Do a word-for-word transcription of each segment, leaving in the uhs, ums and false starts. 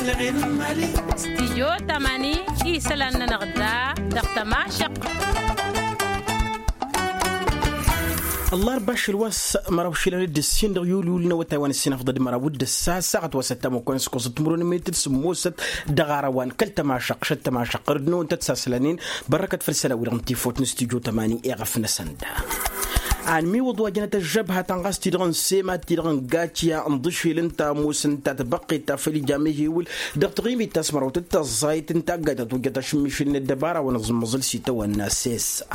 Stijyo tamani isălan-nănăɣ da dăɣ-tămašăq. Ăllarba ašăl wa s-măraw išilan d-ǝssin dăɣ-yul yul n-awătay wa n-ǝssin afḍăd măraw d-ǝssa saɣăt wa s-ăttam okăyăn s-kosăt timǝrwen n-imet d-sǝmmosăt dăɣ-ara wa n-kăl-tămašăq šăt tămašăq ɣur-dd n-awăn tăt-sasălănen. Bărrăkăt făll-isălan wi-dăɣ n-tifot n-stijyo tamani eɣăf-năsăn da. Anmiwǝḍ wa jănăt ăžžăbha ta n-ɣas ti-dăɣ n-sema ti-dăɣ n-gaciya n-ḍǝšel ǝnta ămoos ǝnta tăbăqqet ta făl ija mehewǝl dăɣ-taɣimit ta s-mărawt d-tăẓẓayt n-taggayt ta tojjăt ašǝmmišǝl n-ăddăbara wa n-aẓǝmmăẓǝl s-itawănna sesa.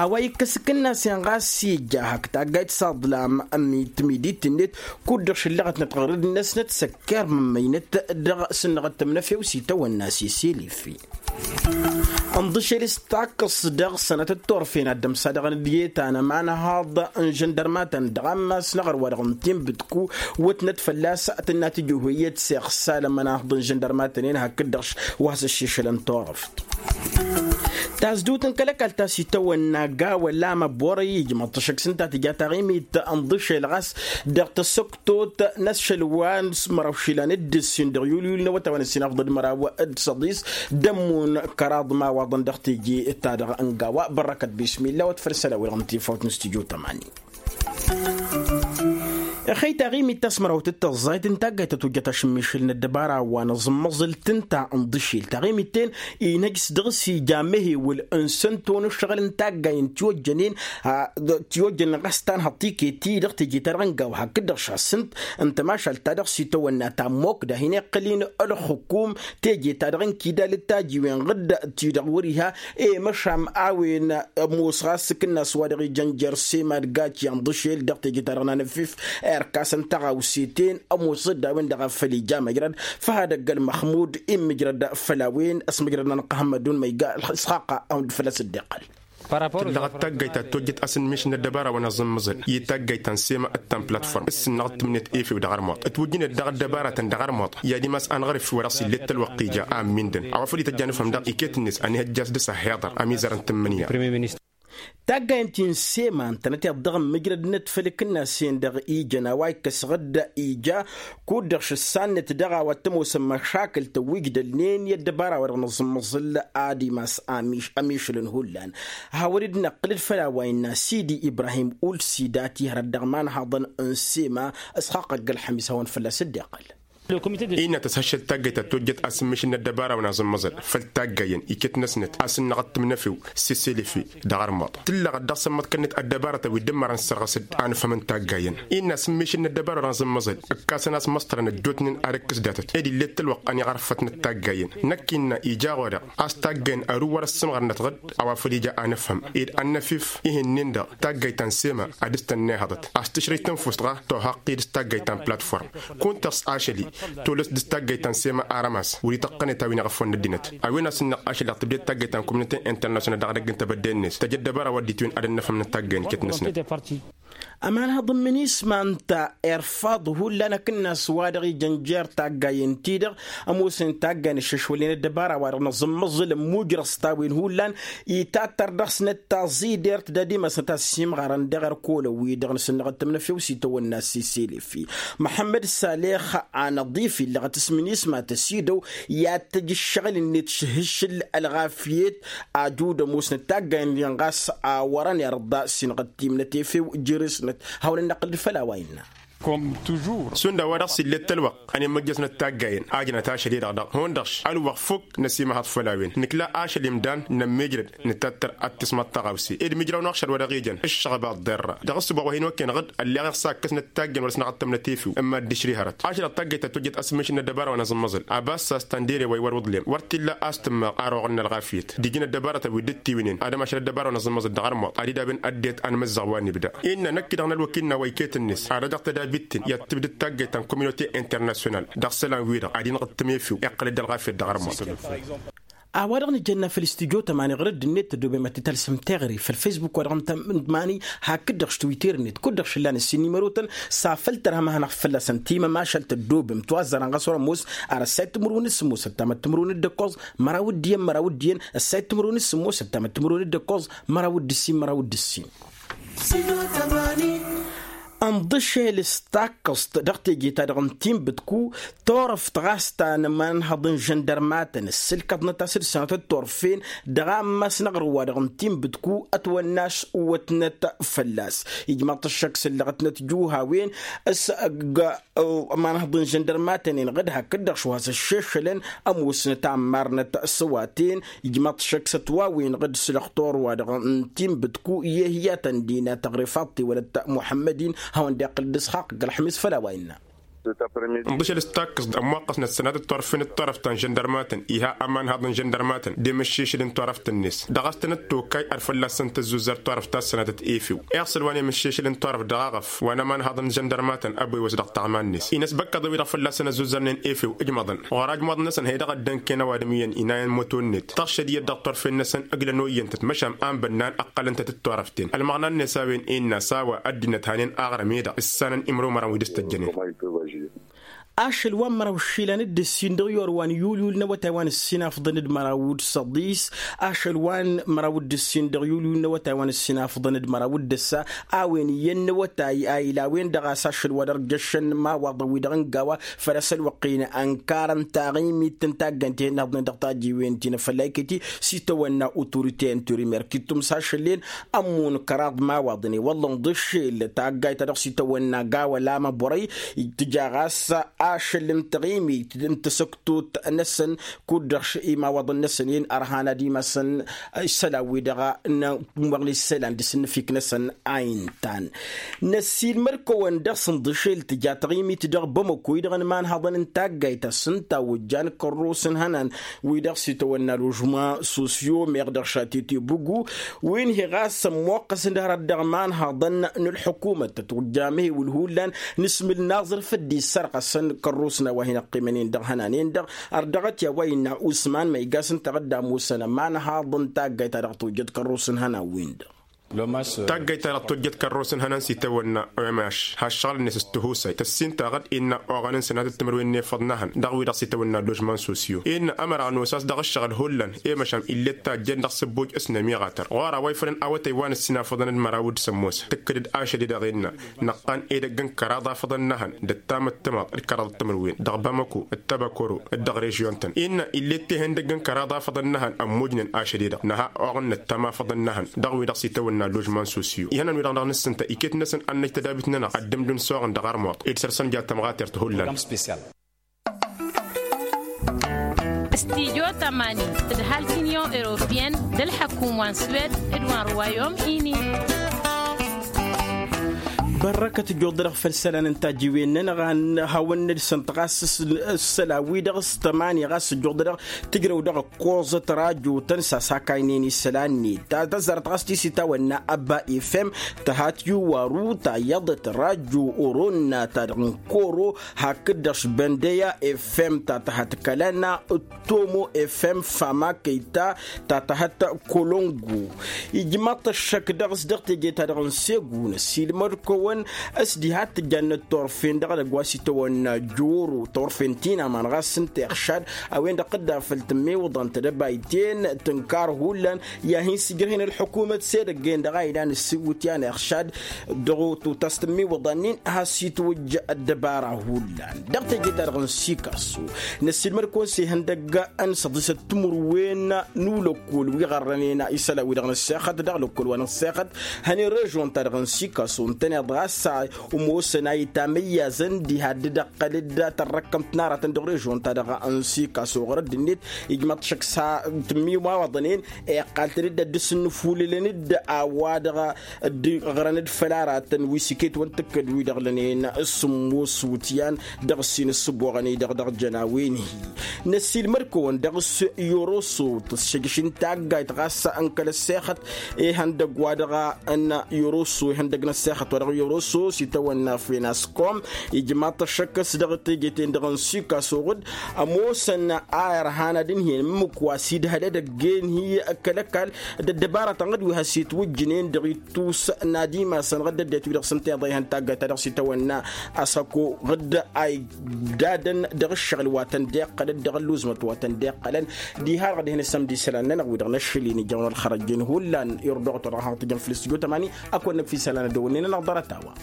A-wa ikkăs akǝnnas-en ɣas ija hak taggayt s-aḍlam ămmit timidit-net kud-dăɣ šǝllăɣătnăt ɣur-dd-năsnăt săkkar mămmăynăt dăɣ-sǝnnăɣăt tămnăfew s-itawănna seselefi. Ǝnḍǝšel s-takkăs dăɣ-sănăt d-turfen ad-dămsa dăɣ-nǝdye ta n-ămanhaḍ n-žăndărmatăn dăɣ-ammas n-aɣăr wa dăɣ-n tinbǝtku wătnăt fălla-s tǝnna tijǝhwăyăt s-iɣsal ămanhaḍ n-žăndărmatăn-en hakd-dăɣ wa has-ăššešălăn turăft. Tazdut n-kăl-ăkall ta s-itawănna gawa lamăbor ijmăḍ-t ăššăk s-ǝnta tǝja taɣimit n-ḍǝšel ɣas dăɣ-tăsăktot n-ašăl wa n-măraw išilan d-ǝssin dăɣ-yul yul n-awătay wa n-ǝssin afḍăd măraw d-săḍis d-ămmun kăraḍ imawaḍăn dăɣ-teje-ta-dăɣ n-gawa. Bărrăkăt bismilla wăt făll-isălan wi-dăɣ n-tifawt n-stijyo tamani. Ixăy taɣimit ta s-mărawt d-tăẓẓayt n-taggayt ta tojjăt ašǝmmišǝl n-ăddăbara wa n-aẓǝmmăẓǝl tǝnta n-iḍǝšel taɣimit-ten inăjj s-dăɣ-s ija mehewǝl n-sănto n-ǝššăɣǝl n-taggayen tiwăjjănen. Tiwăjjănen ɣas tanhăḍt tiket-i-dăɣ teje-ta-dăɣ n-gaw hakd-dăɣ šassǝnt n-tămašalt-ta-dăɣ s-itawănna tammok da hin-iqqăl-in ălxǝkum teje-ta-dăɣ n-kidal d-tajiwen ɣǝdd-ti-dăɣ wăr-iha. I-măšam a-wen ămoos ɣas s-akǝnnas wa dăɣ-ijăn jer-sema d-gaci n-iḍǝšel dăɣ-teje-ta-dăɣ n-anăfif irkasăn tăɣawse-ten ămoos-dd a-wen-dăɣ a făl ija măjrăd făhadăgg ălmăxmud immǝjrăd făll-a-wen ăsmăjrăd n-anăqqăhămmădun ma iga ălxaqqa a hund fălla-s dd-iqqăl. Tǝllăɣăt taggayt ta tojjăt asǝnmiš n-ăddăbara wa n-aẓǝmmăẓăl i-taggayt ta n-sema d-ta n-platform s-sǝnnăɣ d-tǝmnet efew dăɣ-armuḍ ǝtwǝjjǝnet dad-ăddăbaratăn dăɣ-armuḍ i-ad-imas anɣărǝf wa dăɣ-s ill'-e ălwăqq ija a ămmindăn a-wa făl ităjja anǝfhǝm daɣ iket-net ănihăjja a-s dăɣ-s ăhhiḍăr ămizăr n-tǝmmǝnǝya. Taggayăn ti n-sema ǝntănăteḍ dăɣ-ǝmmǝjrădnăt făll-ikǝnnasen-dăɣ ijăn a-wa ikkăs ɣǝdda ija kud-dăɣ šǝssan-net dăɣ-a-wa t-ămoosăn măšakǝl tăwwijdălnen i-ăddăbara-wa-dăɣ n-aẓǝmmăẓǝl ad-imas amišǝlăn hullan. Hawăn-dd-năqqǝlăd făll-a-wa innă sidi ibrahim ulsida ti hărăt dăɣ-imanhaḍăn n-sema ăsxaqăgg ălxămis hawăn-fălla-s dd-iqqăl. Innă tăshăššăd taggayt ta tojjăt asǝmmišǝl n-ăddăbara wa n-aẓǝmmăẓăl făll-taggayen iket-năsnăt asǝnnăɣ d-timnăfew s-isǝlǝfi dăɣ-armuḍ tǝllăɣăt dăɣ-sămmăḍkălnet ăddăbarătăn wi dd-ǝmmărăn sărɣăs-dd anǝfhăm n-taggayen. Innă asǝmmišǝl n-ăddăbara wa n-aẓǝmmăẓăl ǝkkasăn-as măṣṭărăn ăjjootnen ad-ăkk s-datăt ed ill'-e t-ălwăqq ăniɣărfătnăt taggayen năkk innă ija ɣur-dăɣ a-s taggayen ăru wăr-ăssǝmɣărnăt ɣǝd a-wa făl ija anǝfhăm ed ad-năfif ih'-nin-dăɣ taggayt ta n-sema ad-dăr-s tănnihăḍăt a-s tǝšrǝy tănfust ɣa tohaqqi dăr-s taggayt ta n-platform. Kunta s-ašăl-i tolăs dăr-s taggayt ta n-sema aramas wăr-ităqqănet a-wen iɣăfăwăn n-ăddinăt a-wen a-s ǝnneɣ ašăl-i dăɣ-tǝbded taggayt ta n-communăte internasyonal dăɣ-edăgg n-tebădde-net tăj ăddăbara wa dd-itwǝyăn ad-ănnăfhăm n-taggayen iket-năsnăt. Ămanhăḍ n-minisma ǝnta irfaḍ hullan akǝnnas wa dăɣ-ijăn jer taggayen-ti-dăɣ ămoosăn taggayen ǝššăšwălnen ăddăbara wa dăɣ-năẓǝmmăẓǝl ămmujrăẓ-t a-wen hullan itattăr dăɣ-snăt taẓidert d-ad-imasnăt a-s simɣarăn dăɣ-erkolăwi-dăɣ n-sǝnnăɣăt tǝmnăfew s-itawănna s-iselefi. Măḥămmăd salex anăḍif illăɣăt s-minisma tăsidăw i-ad-tăj ǝššăɣǝl-net šǝhǝššǝl ălɣafyet ajud ămoosnăt taggayen-nin ɣas a wărăn irḍa sinɣăt timnăt efew jere-snăt. Hawăn-ănnăqqǝl-dd făll-a-wa innă. Šund a-wa dăɣ-s ill'-e t-ălwăqq ănimăjjăsnăt taggayen a jănăt ašăl-i-dăɣ daɣ hundăɣš ălwăqq fukk năsimăhăḍ făll-a-wen nǝkla ašăl imdan nămmijrăd nǝtattăr ad-t-ismăḍ tăɣawse ed mijraw n-aɣšăl wa dăɣ-ijăn ǝššăɣba ăḍḍerra dăɣ-ǝssǝboɣ wa hin-okăyăn ɣǝd ălleɣ iɣsa ǝkkăsnăt taggayen wăr-ăsnăɣăt tămnăt efew ǝmma dd-išri hărăt ašăl dăɣ-taggayt ta tojjăt asǝmmišǝl n-ăddăbara wa n-aẓǝmmăẓǝl. Abassa s-tăndere wa iwăr uḍlem wăr t-illa a-s tǝmmaɣ aroɣ n-ălɣafyăt d-iji n-ăddăbarătăn wi dd-tiwǝynen ad-ămašăl ăddăbara wa n-aẓǝmmăẓǝl dăɣ-armuḍ ad-idabăn ăddinăt anmǝzzaɣ wa n-ibda. Innă năkk-i-dăɣ n-ălwăkil n-a-wa iket-net ad-ăj dăɣ-tădabit-ten i-ad-tǝbdǝd taggayt ta n-communăte internasyonal dăɣ-isălan-wi-dăɣ ad-inɣǝttǝm efew iqqăl-dd ălɣafyăt dăɣ-armuḍ. A-wa-dăɣ nǝjănna făll-istudyo tămani ɣur-dd-net tădobem ad-t-tălsăm teɣăre făll-facebook wa dăɣ-n tămani hakd-dăɣ s-twitter-net kud-dăɣ šǝllan ǝssin n-imărotăn s-afăl tărhăm ad-hanăɣ-t fălla-săn timămašalt tăddobem tiwazzarăn ɣas wăr-ămoos ar ăssayăt timǝrwen d-sǝmmos ăttamăt timǝrwen d-ǝkkoẓ măraw d-iyyăn măraw d-iyyăn ăssayăt timǝrwen d-sǝmmos ăttamăt timǝrwen d-ǝkkoẓ măraw d-ǝssin măraw d-ǝssin. Ǝnḍǝšel s-takkăẓt dăɣ-teje-ta-dăɣ n-tinbǝtku, turăft ɣas ta n-ămanhăḍ n-žăndărmatăn ǝssǝlkăḍnăt a-s d-sănatăt turfen dăɣ-ammas n-aɣrǝw-wa-dăɣ n-tinbǝtku ătwănna a-s uwătnăt fălla-s. Ijmaḍ-t ăššăk s-ǝllăɣătnăt juhawen s-ăgg ămanhăḍ n-žăndărmatăn-en ɣǝd hakd-dăɣ šuhas ăššešălăn ămoosnăt a ămmarnăt s-ăwaten. Ijmaḍ-t ăššăk s-ătwawen ɣǝd s-lăxtur-wa-dăɣ n-tinbǝtku i-ehiyatăn dina tăɣrifaḍt-i wălăt muḥămmăd-in hawăn-dd-iqqǝl d-isxaqq ălxămis făll-a-wa innă. Ǝnḍǝšăl s-takkăẓt ămmuqqăsnăt sănatăt turfen d-turăft ta n-žăndărmatăn iha ămanhăḍ n-žăndărmatăn d-emǝššešăl n-turăft-net dăɣ-a-s tănăt-tokay ad-fălla-săn tăzzuzăr turăft ta s-sănatăt efew. Iɣsǝl wa n-emǝššešăl n-turăft dăɣ-aɣăf wa n-ămanhăḍ n-žăndărmatăn ăbwewăs dăɣ-taɣma-net inăsbăkkăḍăn-wi-dăɣ fălla-săn ăzzuzărnen efew ǝjmăḍăn ɣur-ajmuḍ-năsăn hăy dăɣ-ăddănken ăwadǝm iyyăn inayen moto-net tăɣšăd iyyăt dăɣ-turfen-năsăn ǝglăn oyyăn-tăt măšan a n-bănnan ǝqqălăn-tăt d-turăften ălmăɣna-net a-wen innă a-s a-wa ăddinăt hanen aɣrǝm-i-dăɣ ǝssanăn imrumărăn wi dăɣ-s tăjjănen. Ašăl wa n-măraw išilan d-ǝssin dăɣ-iyor wa n-yulyul n-awătay wa n-ǝssin afḍăn d-măraw d-săḍis. Ašăl wa n-măraw d-ǝssin dăɣ-yulyul n-awătay wa n-ǝssin afḍăn d-măraw d-ǝssa a-wen iyyăn n-awătay a ila a-wen-dăɣ a-s ašăl wa dăɣ-jăššăn imawaḍăn-wi-dăɣ n-gawa făl asăl wăqqin ănkar n-taɣimit n-taggăyt ihănnăɣ-dăn dăɣ-tajiwen ti n-afălla iket-i s-itawănna otorite n-turimer kittum s-ašăl-en. Ămmun kăraḍ imawaḍăn i-wălla ǝnḍǝšel taggayt-ta-dăɣ s-itawănna gawa lamă burăy tǝja ɣas ašăl n-taɣimit n-tasăktot-năsăn kud-dăɣ imawaḍăn-năsăn-in ărhan ad-imasăn isălan-wi-dăɣ n-tumăɣli isălan d-asǝnnǝfik-năsăn a intan. Năssiilmăd-kăwăn dăɣ-s ǝnḍǝšel tǝja taɣimit dăɣ-bamăko-i-dăɣ n-imanhăḍăn n-taggayt a-s ǝnta ojjan kărrus n-ihănan wi-dăɣ s-itawănna ložman sosyo meɣ dăɣ-šatete bugu wi n-hi ɣas ămmoqqăsăn d-hărăt dăɣ-imanhăḍăn n-ălḥukumăt tăt-ojja amhiwǝl hullan n-asmǝl n-aẓrǝf dd-issărɣăsăn kărrus n-a-wa hin-ăqqimăn-in dăɣ-ihănan-en-dăɣ. Ărdăɣăt i-a-wa innă usman ma iga s-ǝnta ɣǝdda ămoosăn ămanhăḍ n-taggayt-ta-dăɣ tojjăt kărrus n-ihănan-win-dăɣ. Taggayt-ta-dăɣ tojjăt kărrus n-ihănan s-itawănna omaš ha ǝššăɣǝl-net s-tihusay tăssin-ta ɣǝd innă oɣănăn sănatăt timǝrwen n-efăḍ n-ehăn dăɣ-wi-dăɣ s-itawănna ložman sosyo innă ămăra ănosas dăɣ-ǝššăɣǝl hullan i-măšan ill'-e d tajjen dăɣ-sǝbbuj s-nămiɣatăr ɣur-a-wa ifălăn awătay wa n-ǝssin afăḍăn d-măraw d-sămmos tǝkkǝd-dd ašăl-i-dăɣ innă năqqan edăgg n-kăraḍ afăḍăn n-ehăn d-ăttamăttămaḍ d-kăraḍ timǝrwen dăɣ-bamăko d-tabăkoro d-dăɣ-režyon-tăn innă ill'-e d-tehăndăgg n-kăraḍ afăḍăn n-ehăn ămmujnen ašăl-i-dăɣ năha oɣăn năttam afăḍăn n-ehăn dăɣ-wi-dăɣ s-itawănna ložman sosyo ihănan-wi-dăɣ dăɣ-nǝssǝnta iket-năsăn ad-năj tădabit-nănăɣ ad-dd-ǝmdǝn s-oɣăn dăɣ-armuḍ ed săr-săn ja tămɣatert hullan. Stijo tămani d-halt union europeyenne d-ălḥăkum wa n-swed d-wa n-ruwayom ini. Bărrăkăt ǝjjuḍ-dăɣ făll-isălan n-tajiwen-nănăɣ a n-hawăn-nǝdsǝnt ɣas s-isălan-wi-dăɣ s-tămani ɣas ǝjjuḍ-dăɣ tǝjrăw dăɣ-ăkkoẓăt rajo-tăn s-asakaynen isălan-net ta tăzzarăt ɣas ti s-itawănna ăbba efem tăhat yuwaru ta iyyăḍăt rajo oronna ta dăɣ-n koro hakd-dăɣ s-băndeya efem ta tăhat kălăna d-tomo efem fama kăyta ta tăhat kolongo. Ijmaḍ-t ăššăk dăɣ-s dăɣ-teje-ta-dăɣ n-segu n-ăssiilmăd-kăwăn s-diha t-tǝjjannăt turfen dăɣ-edăgg wa s-itawănna joro turfen ti n-aman ɣas ǝnta iɣšad a-wen-dăɣ tǝdda făll-tǝmmiwǝḍăn tedăbayten tǝnkar hullan i-ad-hin-sǝjrăh-in ălḥukumăt s-edăgg-en-dăɣ a ilan ǝssiwǝtyan iɣšad dăɣ-oto ta s-tǝmmiwǝḍăn-in has-itwǝjj ăddăbara hullan. Dăɣ-teje-ta-dăɣ n-sikaso năssiilmăd-kăwăn s-ihăndăgg n-săḍisăt timǝrwen n-ulăkkol wi ɣărrănen isălan-wi-dăɣ n-ăssexăt dăɣ-lăkkol wa n-ăssexăt hănen režon-ta-dăɣ n-sikaso ǝntăneḍ ɣas ămoosăn a itamăyyazăn diha dd-ăqqăl-dd tărrăkkămt n-aratăn dăɣ-režon-ta-dăɣ n-sikaso ɣur-ăddinnet. Ijmăḍ-t šăkk s-ha tǝmmimawaḍăn-en iqqal-tăn-dd ad-dd-sǝnnǝfulǝlăn-dd a-wa-dăɣ dd-ɣrăn-dd făll-aratăn wi s-iket wăn tǝkkǝd wi-dăɣ lănen s-sǝmmos wǝtyan dăɣ-ǝssin ǝssǝboɣăn-i-dăɣ dăɣ-jăn a-wen-hi. Năssiilmăd-kăwăn dăɣ-s yoroso tǝssǝjǝš n-taggayt ɣas n-kăl-ăssexăt ihăndăgg wa dăɣ-n yoroso ihăndăgg n-ăssexăt wa dăɣ-yoroso s-itawănna fenaskom. Ijmaḍ-t ăššăk s-dăɣ-teje-ten-dăɣ n-sikaso ɣǝd ămoosăn a irhan ad-ǝnhǝyăn ǝmmǝk wa s-idhăl edăgg-en hi kăl-ăkall d-ăddăbara ta n-ɣǝd wi has-itwǝjjǝnen dăɣ-ittus n-ad-imasăn ɣǝd ăddinăt wi-dăɣ s-ǝnta iḍa ihăn taggayt ta dăɣ-s itawănna asăko ɣǝd a idadăn dăɣ-ǝššăɣǝl wa tăn-dd-iqqălăn dăɣ-ălluzmăt wa tăn-dd-iqqălăn. Diha-dăɣ dihen-ăssămd isălan-nănăɣ wi-dăɣ năššăl-in ijăwăn ălxărăjjen hullan irduɣăt wa dăɣ-haɣ tǝjăn făll-stujo tămani. Ad-kăwăn-năkk fi isălan ad-dăwănnen-nănăɣ ḍarăt-a-wa.